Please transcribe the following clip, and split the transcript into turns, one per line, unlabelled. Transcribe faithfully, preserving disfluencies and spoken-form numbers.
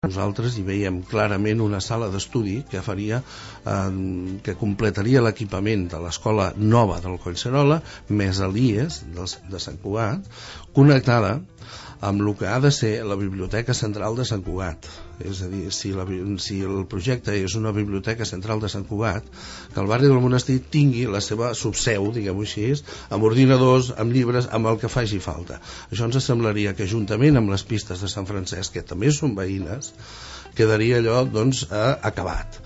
Nosaltres hi veiem clarament una sala d'estudi que faria, eh, que completaria l'equipament de l'escola nova del Collserola, més l'I E S de Sant Cugat, connectada amb el que ha de ser la Biblioteca Central de Sant Cugat. És a dir, si, la, si el projecte és una Biblioteca Central de Sant Cugat, que el barri del Monestir tingui la seva subseu, diguem-ho així, amb ordinadors, amb llibres, amb el que faci falta. Això ens semblaria que, juntament amb les pistes de Sant Francesc, que també són veïnes, quedaria allò, doncs, acabat.